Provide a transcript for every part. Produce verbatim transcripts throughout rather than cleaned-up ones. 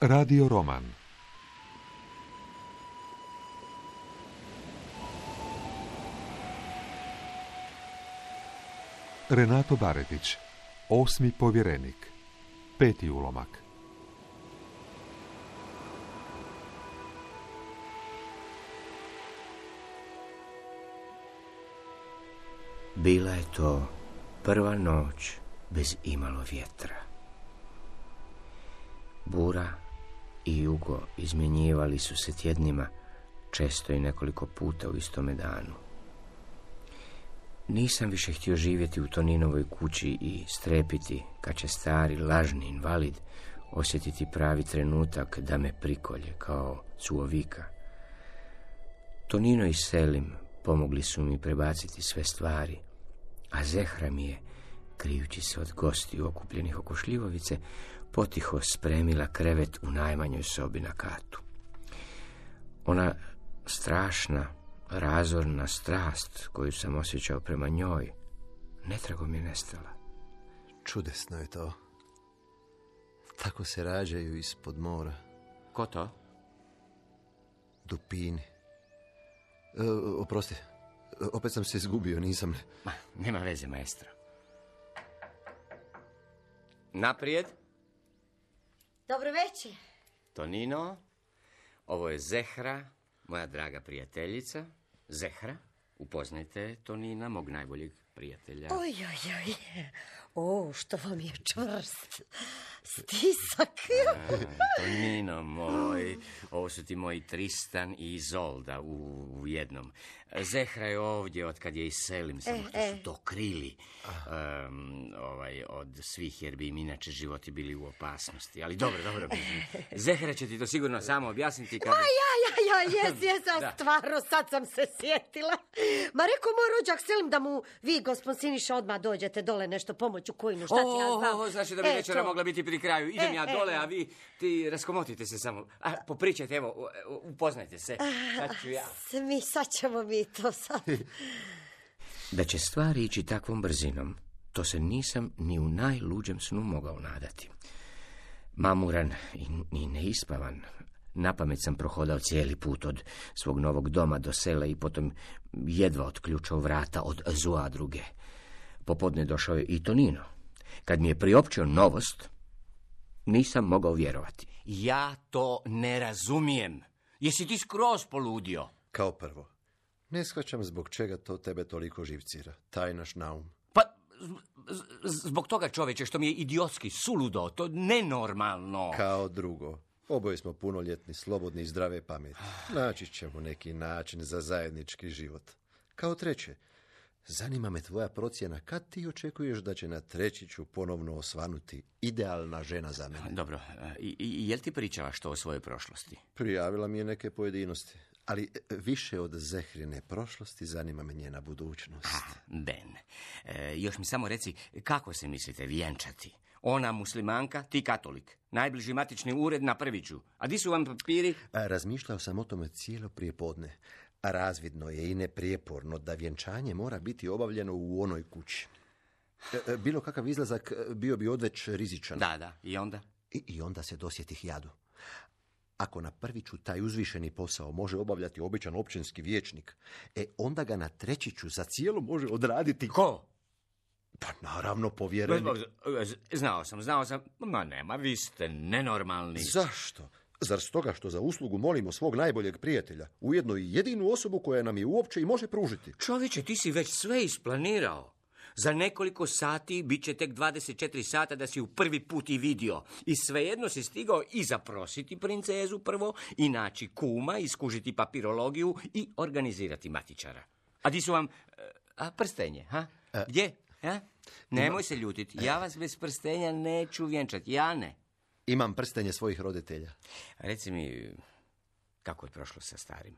Radio roman. Renato Baretić, Osmi povjerenik. Peti ulomak. Bila je to prva noć bez imalo vjetra. Bura i jugo izmjenjivali su se tjednima, često i nekoliko puta u istome danu. Nisam više htio živjeti u Toninovoj kući i strepiti kad će stari lažni invalid osjetiti pravi trenutak da me prikolje kao suovika. Tonino i Selim pomogli su mi prebaciti sve stvari, a Zehra mi je, krijući se od gostiju okupljenih oko šljivovice, potiho spremila krevet u najmanjoj sobi na katu. Ona strašna, razorna strast koju sam osjećao prema njoj, netragom je nestala. Čudesno je to. Tako se rađaju ispod mora. Ko to? Dupini. E, oprosti, opet sam se izgubio, nisam... Ma, nema veze, maestro. Naprijed. Dobro večer. Tonino, ovo je Zehra, moja draga prijateljica. Zehra, upoznajte Tonina, mog najboljeg prijatelja. Oj, oj, oj. O, što vam je čvrst. Stisak. A, Tonino moj, ovo su ti moji Tristan i Izolda u, u jednom. Zehra je ovdje od kad je i Selim, samo što e, su to krili um, ovaj, od svih, jer bi im inače životi bili u opasnosti. Ali dobro, dobro. Zehra će ti to sigurno samo objasniti kada... Ma ja, ja, ja, jes, jes, a stvarno, sad sam se sjetila. Ma rekao moj rođak Selim da mu vi, gospod Siniša, odmah dođete dole nešto pomoć u kojinu, šta ti ja znam. O, znači da bi e, večera to. mogla biti pri kraju. Idem E, ja e, dole, e. a vi ti raskomotite se samo. A, popričajte, evo, upoznajte se. Sad ću ja. Mi, sad ćemo mi to sad. Da će stvari ići takvom brzinom, to se nisam ni u najluđem snu mogao nadati. Mamuran i, i neispavan, napamet sam prohodao cijeli put od svog novog doma do sela i potom jedva otključao vrata od Zuadruge. Popodne došao je i Tonino. Kad mi je priopćio novost, nisam mogao vjerovati. Ja to ne razumijem. Jesi ti skroz poludio? Kao prvo, ne shvaćam zbog čega to tebe toliko živcira. Taj naš naum. Pa, z- z- zbog toga, čoveče, što mi je idiotski, suludo, to nenormalno. Kao drugo, oboje smo punoljetni, slobodni i zdrave pameti. Naći ćemo neki način za zajednički život. Kao treće, zanima me tvoja procjena kad ti očekuješ da će na Trećiću ponovno osvanuti idealna žena za mene. Dobro, i, i jel ti pričala što o svojoj prošlosti? Prijavila mi je neke pojedinosti, ali više od Zehrine prošlosti zanima me njena budućnost. Ah, Ben, e, još mi samo reci, kako se mislite vjenčati? Ona muslimanka, ti katolik. Najbliži matični ured na Prviću. A di su vam papiri? A, razmišljao sam o tome cijelo prijepodne. A razvidno je i neprijeporno da vjenčanje mora biti obavljeno u onoj kući. E, bilo kakav izlazak bio bi odveć rizičan. Da, da, i onda? I, i onda se dosjetih jadu. Ako na Prviću taj uzvišeni posao može obavljati običan općinski vijećnik, e onda ga na Trećiću za cijelo može odraditi... Ko? Pa naravno povjerenik. Znao sam, znao sam. Ma nema, vi ste nenormalni. Zašto? Zar stoga što za uslugu molimo svog najboljeg prijatelja, ujedno i jedinu osobu koja nam je uopće i može pružiti? Čovječe, ti si već sve isplanirao. Za nekoliko sati bit će tek dvadeset četiri sata da si ju prvi put i vidio. I svejedno si stigao i zaprositi princezu prvo, i naći kuma, iskužiti papirologiju i organizirati matičara. A di su vam... A, prstenje, ha? A, Gdje? Ha? Nemoj se ljutiti. Ja vas bez prstenja neću vjenčati. Ja ne. Imam prstenje svojih roditelja. Reci mi, kako je prošlo sa starim?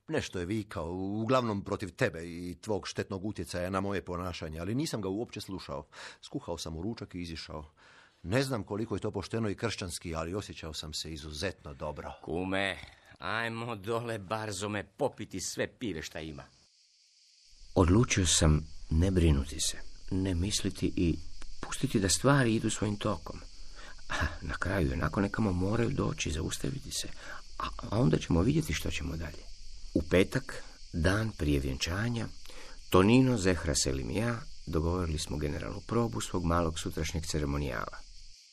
Nešto je vikao, uglavnom protiv tebe i tvog štetnog utjecaja na moje ponašanje, ali nisam ga uopće slušao. Skuhao sam u ručak i izišao. Ne znam koliko je to pošteno i kršćanski, ali osjećao sam se izuzetno dobro. Kume, ajmo dole barzome popiti sve pive šta ima. Odlučio sam ne brinuti se, ne misliti i pustiti da stvari idu svojim tokom. Na kraju jednako nekamo moraju doći, zaustaviti se, a onda ćemo vidjeti što ćemo dalje. U petak, dan prije vjenčanja, Tonino, Zehra, Selim i ja dogovorili smo generalnu probu svog malog sutrašnjeg ceremonijala.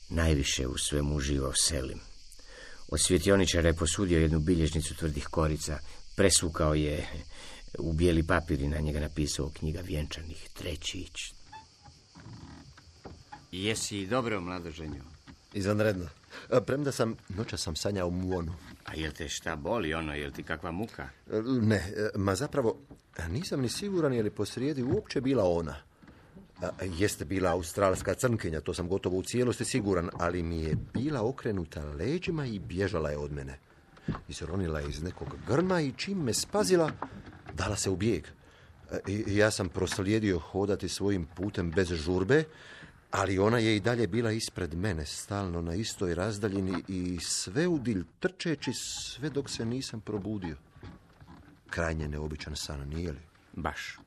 Najviše u svemu uživao Selim. Od svjetioničara je posudio jednu bilježnicu tvrdih korica, presukao je u bijeli papir i na njega napisao knjiga vjenčanih Trećić. Jesi dobro, mladoženju? Izvanredno. Premda sam, noća sam sanjao muonu. A jel te šta boli ono, jel ti kakva muka? Ne, ma zapravo nisam ni siguran je li posrijedi uopće bila ona. Jeste bila australska crnkinja, to sam gotovo u cijelosti siguran, ali mi je bila okrenuta leđima i bježala je od mene. Izronila je iz nekog grma i čim me spazila, dala se u bijeg. I ja sam proslijedio hodati svojim putem bez žurbe, ali ona je i dalje bila ispred mene, stalno na istoj razdaljini i sve udilj trčeći sve dok se nisam probudio. Krajnje neobičan san, nije li? Baš.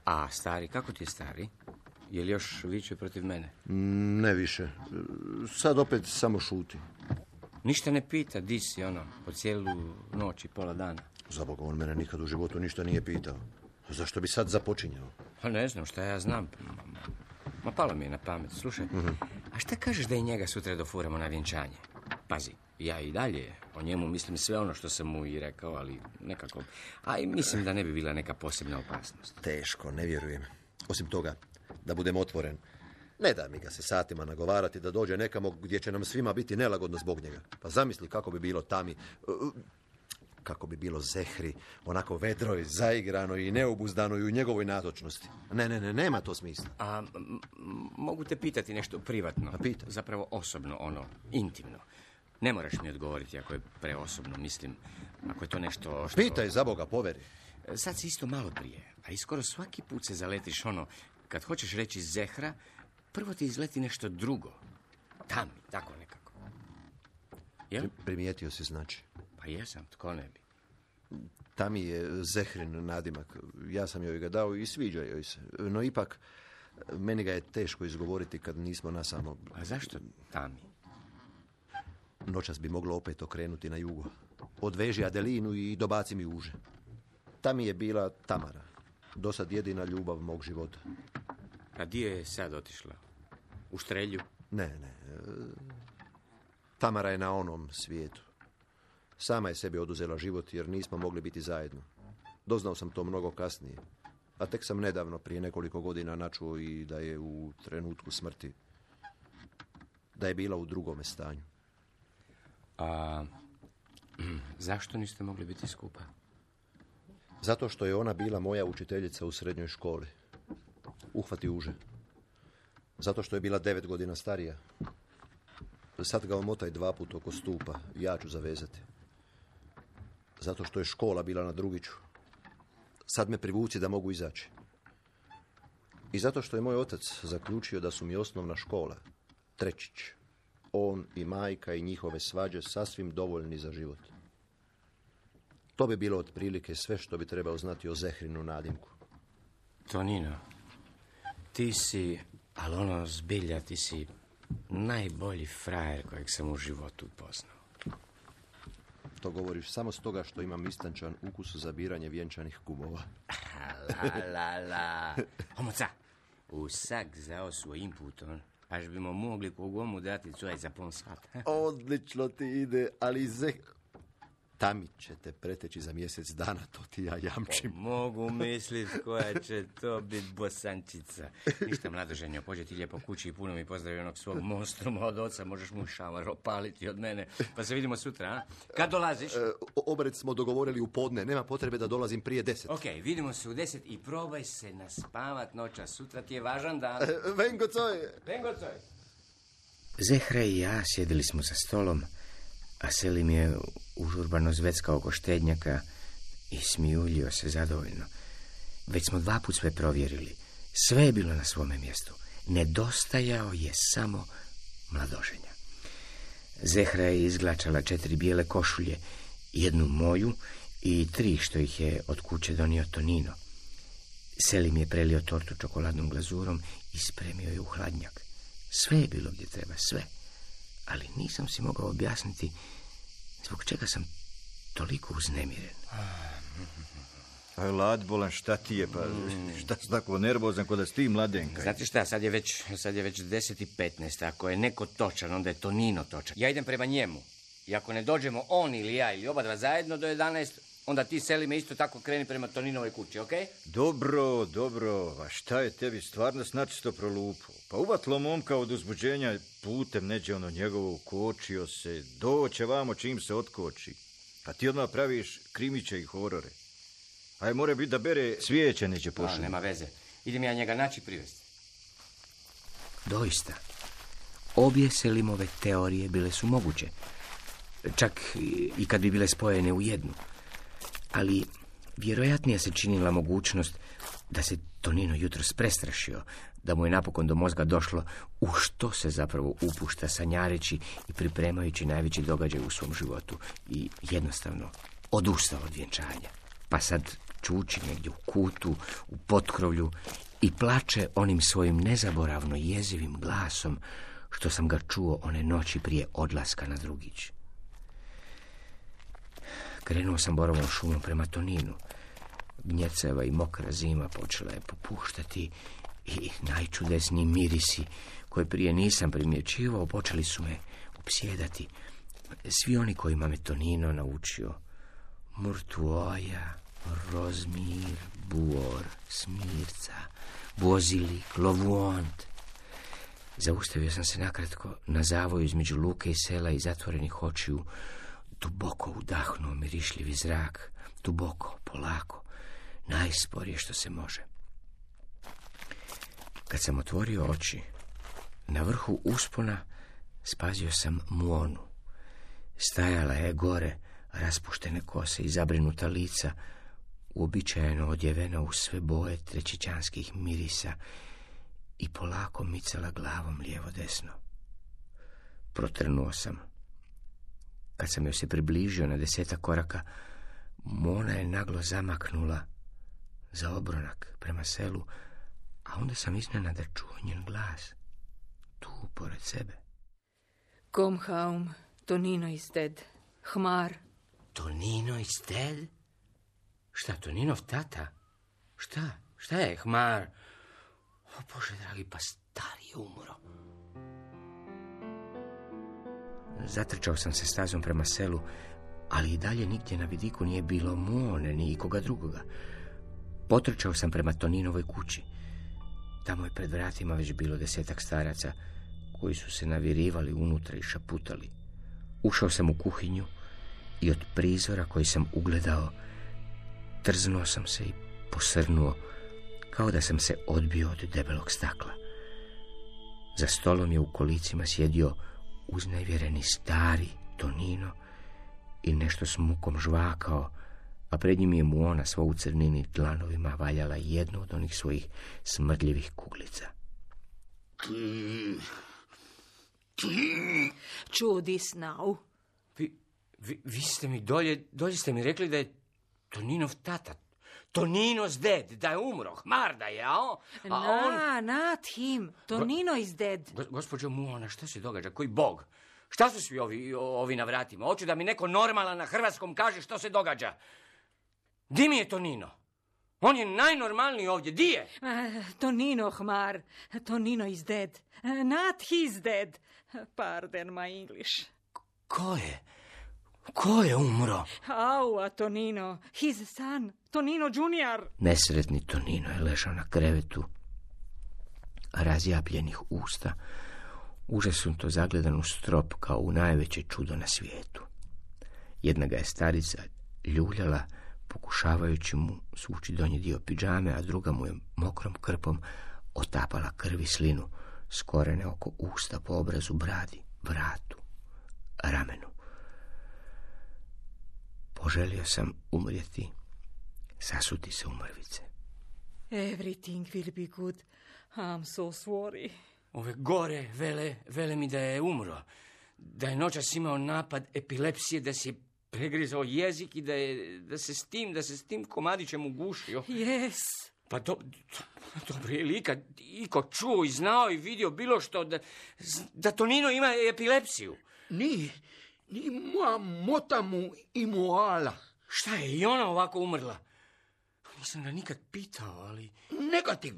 A stari, kako ti je stari? Je li još viče protiv mene? Ne više. Sad opet samo šuti. Ništa ne pita, di si ono, po cijelu noć i pola dana. Za Boga, on mene nikad u životu ništa nije pitao. Zašto bi sad započinjao? Pa ne znam, šta ja znam. Ma palo mi je na pamet. Slušaj, mm-hmm. A šta kažeš da i njega sutra dofuramo na vjenčanje? Pazi, ja i dalje o njemu mislim sve ono što sam mu i rekao, ali nekako... A i mislim da ne bi bila neka posebna opasnost. Teško, ne vjerujem. Osim toga, da budem otvoren, ne da mi ga se satima nagovarati da dođe nekamo gdje će nam svima biti nelagodno zbog njega. Pa zamisli kako bi bilo Tami, kako bi bilo Zehri, onako vedroj, zaigranoj i neobuzdanoj u njegovoj nazočnosti. Ne, ne, ne, nema to smisla. A m- mogu te pitati nešto privatno? A pita. Zapravo osobno, ono, intimno. Ne moraš mi odgovoriti ako je preosobno, mislim, ako je to nešto što... Pitaj, za Boga, poveri. Sad si isto malo prije, a i skoro svaki put se zaletiš ono, kad hoćeš reći Zehra, prvo ti izleti nešto drugo. Tami, tako nekako. Jel? Primijetio si, znači. Pa jesam, tko ne bi. Tami je Zehrin nadimak. Ja sam joj ga dao i sviđa joj se. No ipak, meni ga je teško izgovoriti kad nismo nasamo. A zašto Tami? Noćas bi moglo opet okrenuti na jugo. Odveži Adelinu i dobaci mi uže. Tami je bila Tamara. Dosad jedina ljubav mog života. A di je sad otišla? U Štrelju? Ne, ne. Tamara je na onom svijetu. Sama je sebi oduzela život jer nismo mogli biti zajedno. Doznao sam to mnogo kasnije. A tek sam nedavno, prije nekoliko godina, načuo i da je u trenutku smrti, da je bila u drugome stanju. A zašto niste mogli biti skupa? Zato što je ona bila moja učiteljica u srednjoj školi. Uhvati uže. Zato što je bila devet godina starija. Sad ga omotaj dva put oko stupa. Ja ću zavezati. Zato što je škola bila na Drugiću. Sad me privuci da mogu izaći. I zato što je moj otac zaključio da su mi osnovna škola, Trećić, on i majka i njihove svađe sasvim dovoljni za život. To bi bilo otprilike sve što bi trebao znati o Zehrinu nadimku. Tonino, ti si, ali ono zbilja, ti si najbolji frajer kojeg sam u životu upoznao. To govoriš samo stoga što imam istančan ukus za biranje vjenčanih kumova. La, la, la. Homoca, usak zao svojim putom. Až bimo mogli kogomu dati coj za pon sat. Odlično ti ide, ali Zeh... Tami će te preteći za mjesec dana, to ti ja jamčim. Po, mogu mislit koja će to biti bosančica. Ništa, mladoženjo, pođe ti lijepo kući i puno mi pozdravi onog svog monstruma od oca, možeš mu šamar opaliti od mene. Pa se vidimo sutra, a? Kad dolaziš? E, obred smo dogovorili u podne, nema potrebe da dolazim prije deset. Ok, vidimo se u deset i probaj se naspavat noća, sutra ti je važan dan. E, vengo coj! Vengo coj! Zehra i ja sjedili smo za stolom, a Selim je užurbano zveckao oko štednjaka i smijuljio se zadovoljno. Već smo dva put sve provjerili. Sve je bilo na svome mjestu. Nedostajao je samo mladoženja. Zehra je izglačala četiri bijele košulje, jednu moju i tri što ih je od kuće donio Tonino. Selim je prelio tortu čokoladnom glazurom i spremio je u hladnjak. Sve je bilo gdje treba, sve. ali nisam si mogao objasniti zbog čega sam toliko uznemiren. Aj, Lad, bolan, šta ti je, pa šta si tako nervozan kod da si ti mladenka? Znate šta, sad je već, sad je već deset i petnaest, ako je neko točan, onda je Tonino točan. Ja idem prema njemu. I ako ne dođemo on ili ja ili oba dva zajedno do jedanaest, onda ti seli me isto tako kreni prema Toninovoj kući, okej? Okay? Dobro, dobro, a šta je tebi stvarno snačisto prolupo? Pa uvatlo momka od uzbuđenja putem neđe ono njegovo ukočio se, doće vamo čim se otkoči. A ti odmah praviš krimiće i horore. Aj, more biti da bere svijeće neće pošli. Nema veze, idem ja njega naći privesti. Doista, obje Selimove teorije bile su moguće. Čak i kad bi bile spojene u jednu. Ali vjerojatnija se činila mogućnost da se Tonino jutros prestrašio, da mu je napokon do mozga došlo u što se zapravo upušta sanjareći i pripremajući najveći događaj u svom životu i jednostavno odustao od vjenčanja. Pa sad čuči negdje u kutu, u potkrovlju i plače onim svojim nezaboravno jezivim glasom što sam ga čuo one noći prije odlaska na drugić. Krenuo sam borovom šumom prema Toninu. Gnjeceva i mokra zima počela je popuštati i najčudesniji mirisi koje prije nisam primjećivao počeli su me opsjedati. Svi oni kojima me Tonino naučio. Murtuoja, rozmir, buor, smirca, bozilik, lovuont. Zaustavio sam se nakratko na zavoju između luke i sela i zatvorenih očiju. Duboko udahnuo mirišljivi zrak, duboko, polako, najsporije što se može. Kad sam otvorio oči, na vrhu uspona spazio sam Muonu. Stajala je gore, raspuštene kose i zabrinuta lica, uobičajeno odjevena u sve boje trećićanskih mirisa i polako micala glavom lijevo-desno. Protrnuo sam. Kad sam joj se približio na desetak koraka, Mona je naglo zamaknula za obronak prema selu, a onda sam iznenada čuo njen glas, tu pored sebe. Kom haum, Tonino is dead. Hmar. Tonino is dead? Šta, Toninov tata? Šta? Šta je, Hmar? O Bože dragi, pa stari je umro. Zatrčao sam se stazom prema selu, ali i dalje nigdje na vidiku nije bilo Mone ni ikoga drugoga. Potrčao sam prema Toninovoj kući. Tamo je pred vratima već bilo desetak staraca koji su se navirivali unutra i šaputali. Ušao sam u kuhinju i od prizora koji sam ugledao trznuo sam se i posrnuo kao da sam se odbio od debelog stakla. Za stolom je u kolicima sjedio uznevjereni stari Tonino i nešto s mukom žvakao, a pred njim je Muona sva u crnini dlanovima valjala jednu od onih svojih smrdljivih kuglica. Chew this now. Vi, vi, vi ste mi dolje, dolje ste mi rekli da je Toninov tata. Tonino's dead, da je umro, Hmar da je, a on... A Na, on... not him. Tonino Go, is dead. Go, gospođo Muona, šta se događa? Koji bog? Šta su svi ovi, ovi na vratima? Hoću da mi neko normalan na hrvatskom kaže što se događa. Di mi je Tonino? On je najnormalniji ovdje. Di je? Uh, Tonino, Hmar. Tonino is dead. Uh, not he's dead. Pardon my English. Ko je? Ko je umro? Au, Tonino. His son. Tonino junior. Nesretni Tonino je ležao na krevetu, razjapljenih usta, užasnuto zagledan u strop kao u najveće čudo na svijetu. Jedna ga je starica ljuljala, pokušavajući mu svući donji dio pidžame, a druga mu je mokrom krpom otapala krv i slinu, skorene oko usta, po obrazu, bradi, vratu, ramenu. Poželio sam umrijeti, sasuti se u mrvice. Everything will be good. I'm so sorry. Ove gore vele, vele mi da je umro. Da je noćas imao napad epilepsije, da si je pregrizao jezik i da, je, da se s tim, da se s tim komadićem ugušio. Yes. Pa do, do, dobro, je li ikad iko čuo i znao i vidio bilo što da, da Tonino ima epilepsiju? Ni, ni moja mota mu imuala. Šta je, i ona ovako umrla? Nisam ga nikad pitao, ali... Negativ.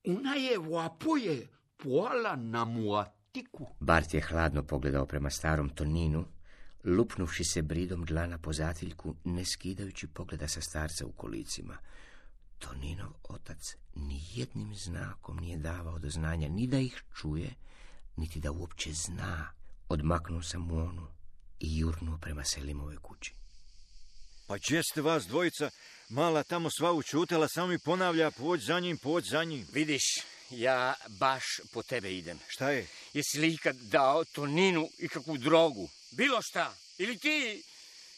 Ona je vapoje poala na muatiku. Bart je hladno pogledao prema starom Toninu, lupnuvši se bridom dlana po zatiljku, ne skidajući pogleda sa starca u kolicima. Toninov otac ni jednim znakom nije davao do znanja ni da ih čuje, niti da uopće zna. Odmaknuo sam u onu i jurnuo prema Selimove kući. Pa gdje ste vas dvojica? Mala tamo sva učutela, samo mi ponavlja, pođ za njim, pođ za njim. Vidiš, ja baš po tebe idem. Šta je? Jesi li ikad dao Toninu ikakvu drogu? Bilo šta? Ili ti,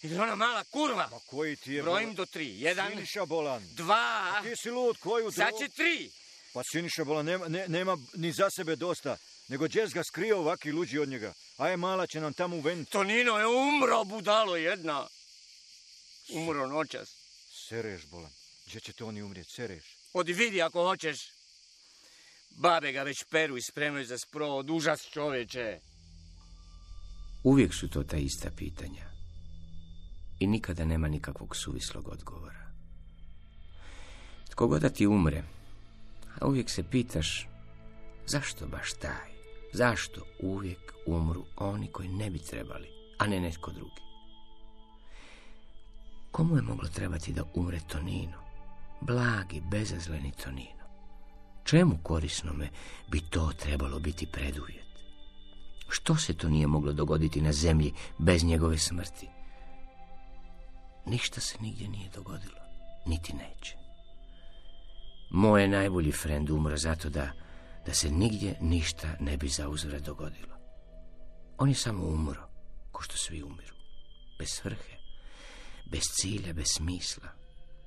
ili ona mala kurva? Ma koji ti je... Brojim do tri. Jedan, Siniša bolan. Dva. A ti si lud, koju drogu? Sad će tri. Pa Siniša bolan nema, ne, nema ni za sebe dosta, nego džez ga skrio ovaki luđi od njega. Aj, mala će nam tamo uveniti. Tonino je umro, budalo jedna. Umro noćas. Sereš, bolan. Gdje će to oni umrijeti? Sereš. Odi vidi ako hoćeš. Babe ga već peru i spremaju za sprovod. Užas, čoveče. Uvijek su to ta ista pitanja. I nikada nema nikakvog suvislog odgovora. Tko god da ti umre, a uvijek se pitaš zašto baš taj? Zašto uvijek umru oni koji ne bi trebali, a ne netko drugi? Komu je moglo trebati da umre Tonino? Blagi, bezazleni Tonino. Čemu korisnome bi to trebalo biti preduvjet? Što se to nije moglo dogoditi na zemlji bez njegove smrti? Ništa se nigdje nije dogodilo, niti neće. Moj je najbolji frend umro zato da, da se nigdje ništa ne bi zauzvrat dogodilo. On je samo umro, ko što svi umiru. Bez svrhe, bez cilja, bez smisla.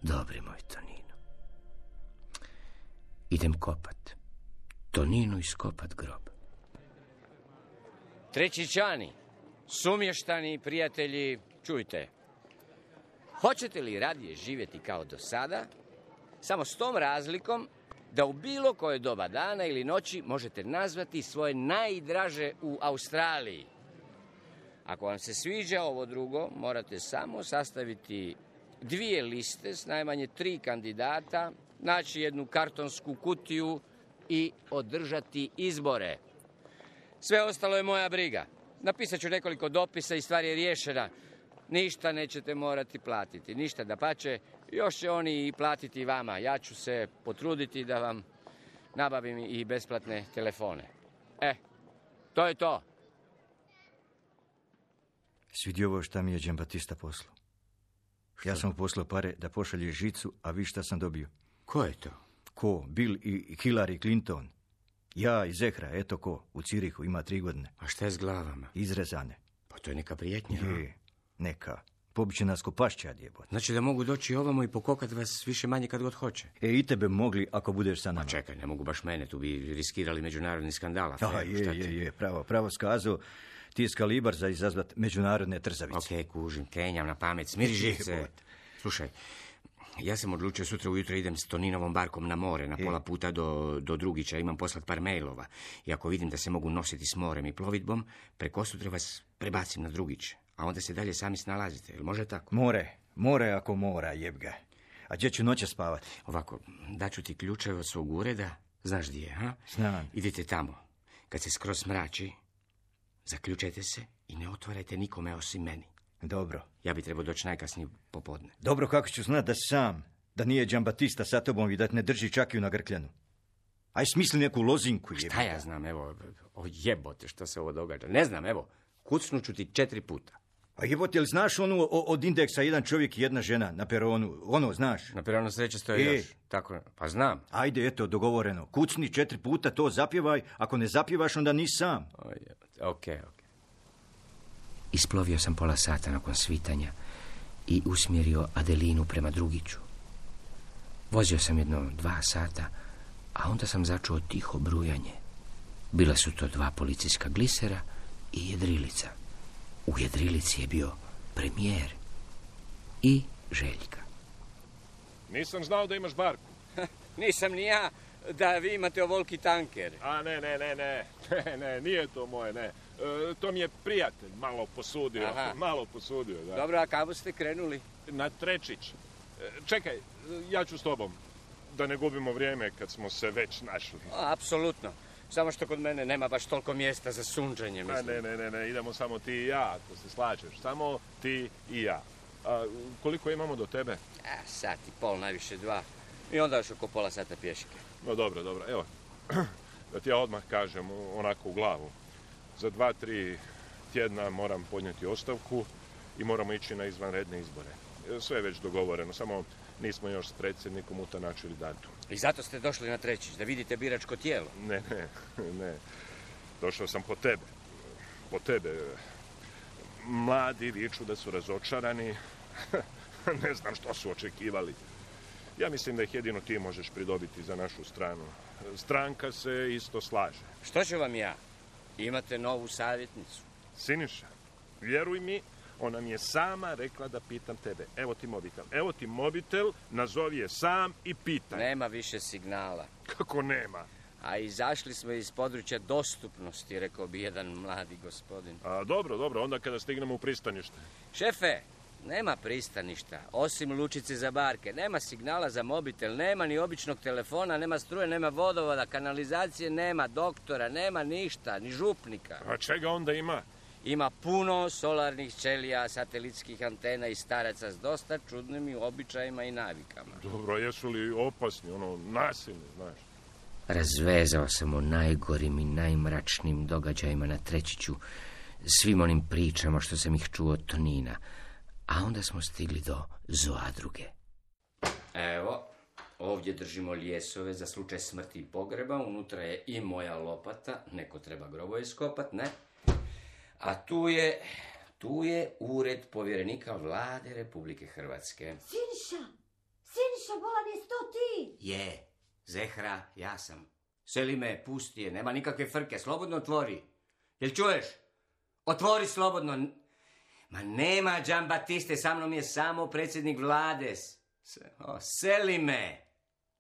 Dobri moj Tonino. Idem kopat. Toninu iskopat grob. Trećičani, sumještani prijatelji, čujte. Hoćete li radije živjeti kao do sada, samo s tom razlikom da u bilo koje doba dana ili noći možete nazvati svoje najdraže u Australiji? Ako vam se sviđa ovo drugo, morate samo sastaviti dvije liste s najmanje tri kandidata, naći jednu kartonsku kutiju i održati izbore. Sve ostalo je moja briga. Napisat ću nekoliko dopisa i stvar je riješena. Ništa nećete morati platiti, ništa, dapače, još će oni i platiti vama. Ja ću se potruditi da vam nabavim i besplatne telefone. E, to je to. Svidi ovo šta mi je Džambatista poslao. Ja sam mu poslao pare da pošalje žicu, a vi šta sam dobio? Ko je to? Ko? Bill i Hillary Clinton. Ja i Zehra, eto ko, u Cirihu, ima tri godine. A šta je s glavama? Izrezane. Pa to je neka prijetnja. Je, neka. Pobiće nas ko pašćad jebot. Znači da mogu doći ovamo i pokokat vas više manje kad god hoće. E, i tebe mogli ako budeš sa nama. Pa čekaj, ne mogu baš mene, tu bi riskirali međunarodni skandal. Aha, je, je, je, pravo, pravo skazao. Ti je skalibar za izazvat međunarodne trzavice. Okej, okay, kužim, kenjam na pamet, smiri živce. Slušaj, ja sam odlučio sutra ujutro idem s Toninovom barkom na more, na pola puta do, do Drugića, imam poslat par mailova. I ako vidim da se mogu nositi s morem i plovidbom, preko sutra vas prebacim na Drugić. A onda se dalje sami snalazite, jel može tako? More, more ako mora, jeb ga. A gdje ću noće spavati? Ovako, daću ti ključeve od svog ureda, znaš gdje je, ha? Znam. Idite tamo. Kad se skroz mrači, zaključajte se i ne otvarajte nikome osim meni. Dobro. Ja bi trebao doći najkasnije popodne. Dobro, kako ću znat da sam, da nije Džambatista sa tobom i da te ne drži čakiju na grkljanu? Aj smisli neku lozinku, jebote. Šta ja znam, evo, o jebote, što se ovo događa. Ne znam, evo, kucnuću ti četiri puta. A jebote, jel znaš onu od indeksa jedan čovjek i jedna žena na peronu? Ono, znaš? Na peronu sreće stoji e. još. Tako, pa znam. Ajde, eto, dogovoreno. Kucni četiri puta, to zapjevaj. Ako ne zapjevaš, onda nisi sam. Okej, okej. Okay, okay. Isplovio sam pola sata nakon svitanja i usmjerio Adelinu prema Drugiću. Vozio sam jedno dva sata, a onda sam začuo tiho brujanje. Bila su to dva policijska glisera i jedrilica. U jedrilici je bio premijer i Željka. Nisam znao da imaš barku. Nisam ni ja da vi imate ovoliki tanker. A ne, ne, ne, ne, ne, ne, nije to moje, ne. E, to mi je prijatelj malo posudio, Aha. malo posudio, da. Dobro, a kako ste krenuli? Na Trečić. E, čekaj, ja ću s tobom, da ne gubimo vrijeme kad smo se već našli. A, apsolutno. Samo što kod mene nema baš toliko mjesta za sunđenje, mislim. A ne, ne, ne, ne, idemo samo ti i ja, ako se slažeš. Samo ti i ja. A koliko imamo do tebe? A, sat i pol, najviše dva. I onda još oko pola sata pješke. No dobro, dobro, evo. Da ti ja odmah kažem, onako u glavu. Za dva, tri tjedna moram podnijeti ostavku i moramo ići na izvanredne izbore. Sve je već dogovoreno, samo nismo još s predsjednikom utanačili datum. I zato ste došli na Trećić, da vidite biračko tijelo? Ne, ne, ne. Došao sam po tebe. Po tebe. Mladi viču da su razočarani. Ne znam što su očekivali. Ja mislim da ih jedino ti možeš pridobiti za našu stranu. Stranka se isto slaže. Što ću vam ja? Imate novu savjetnicu. Siniša, vjeruj mi, ona mi je sama rekla da pitam tebe. Evo ti mobitel. Evo ti mobitel, nazovi je sam i pitaj. Nema više signala. Kako nema? A izašli smo iz područja dostupnosti, rekao bi jedan mladi gospodin. A dobro, dobro, onda kada stignemo u pristanište. Šefe, nema pristaništa, osim lučice za barke. Nema signala za mobitel, nema ni običnog telefona, nema struje, nema vodovoda, kanalizacije, nema doktora, nema ništa, ni župnika. A čega onda ima? Ima puno solarnih ćelija, satelitskih antena i staraca s dosta čudnim običajima i navikama. Dobro, jesu li opasni, ono, nasilni, znaš? Razvezao sam o najgorim i najmračnim događajima na Trećiću, svim onim pričama što sam ih čuo od Tonina, a onda smo stigli do Zoadruge. Evo, ovdje držimo ljesove za slučaj smrti i pogreba, unutra je i moja lopata, neko treba grobo iskopat, ne? A tu je, tu je ured povjerenika vlade Republike Hrvatske. Siniša, Siniša, bolan je to ti? Je, Zehra, ja sam. Selime, pusti je, nema nikakve frke, slobodno otvori. Jel čuješ? Otvori slobodno. Ma nema Džambatiste, sa mnom je samo predsjednik vlade. O, Selime.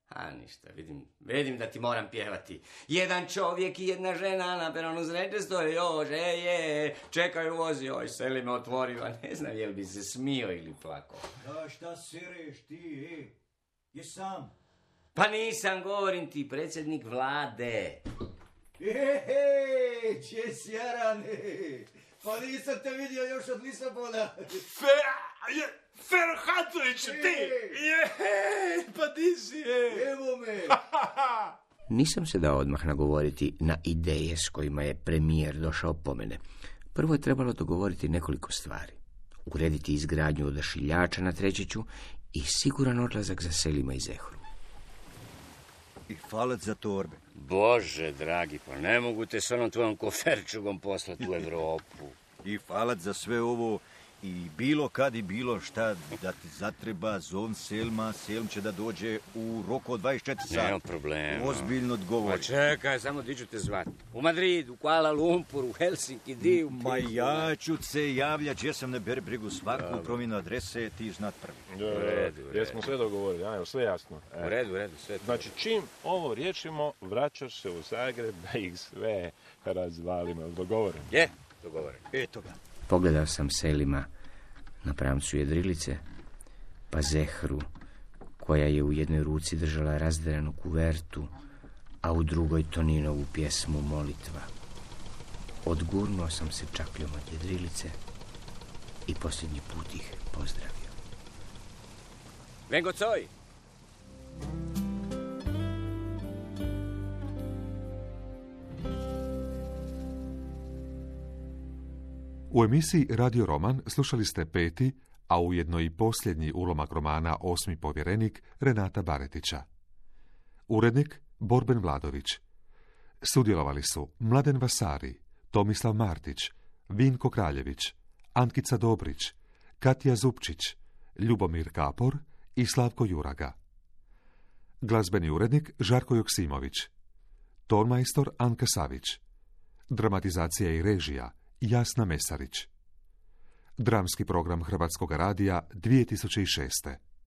A ništa, vidim, vidim da ti moram pjevati. Jedan čovjek i jedna žena na peronu sreće stoje, još, ej, ej, čekaju vozi, oj, Selime, otvori, a ne znam jel bi se smio ili plako. Da, šta sereš ti, ej? Je sam? Pa nisam, govorim ti, predsjednik vlade. Ej, če sjarane, pa nisam te vidio još od Lisabona. Fer, je, Ferhatović, ti, je, pa ti si, je. Evo me. Nisam se dao odmah nagovoriti na ideje s kojima je premijer došao po mene. Prvo je trebalo dogovoriti nekoliko stvari. Urediti izgradnju odašiljača na Trećiću i siguran odlazak za Selima i Zehru. I falac za torbe. Bože, dragi, pa ne mogu te s onom tvojom koferčugom poslati u Evropu. I falac za sve ovo i bilo kad i bilo šta da ti zatreba, zovn Selma, Selm će da dođe u roku od dvadeset četiri sata. Nema problema. Ozbiljno odgovori. Pa čekaj, samo di ću te zvati. U Madridu, u Kuala Lumpuru, u Helsinki, di u... Ma ja ću se javljati, ja sam ne beri brigu svaku promjenu adrese, ti znat prvi. U redu, u redu. Jesmo sve dogovorili, ajmo, sve jasno. U redu, u redu, sve. Znači, čim ovo riješimo, vraćaš se u Zagreb da ih sve razvalimo. Dogovoreno? Je, dogovoreno. Eto ga. Pogledao sam Selima na pramcu jedrilice, pa Zehru, koja je u jednoj ruci držala razderanu kuvertu, a u drugoj Toninovu pjesmu Molitva. Odgurnuo sam se čakljom od jedrilice i posljednji put ih pozdravio. Vengo coj! U emisiji Radio Roman slušali ste peti, a ujedno i posljednji ulomak romana Osmi povjerenik Renata Baretića. Urednik Borben Vladović. Sudjelovali su Mladen Vasari, Tomislav Martić, Vinko Kraljević, Ankica Dobrić, Katja Zupčić, Ljubomir Kapor i Slavko Juraga. Glazbeni urednik Žarko Joksimović. Tonmajstor Anka Savić. Dramatizacija i režija Jasna Mesarić. Dramski program Hrvatskog radija dvije tisuće šeste.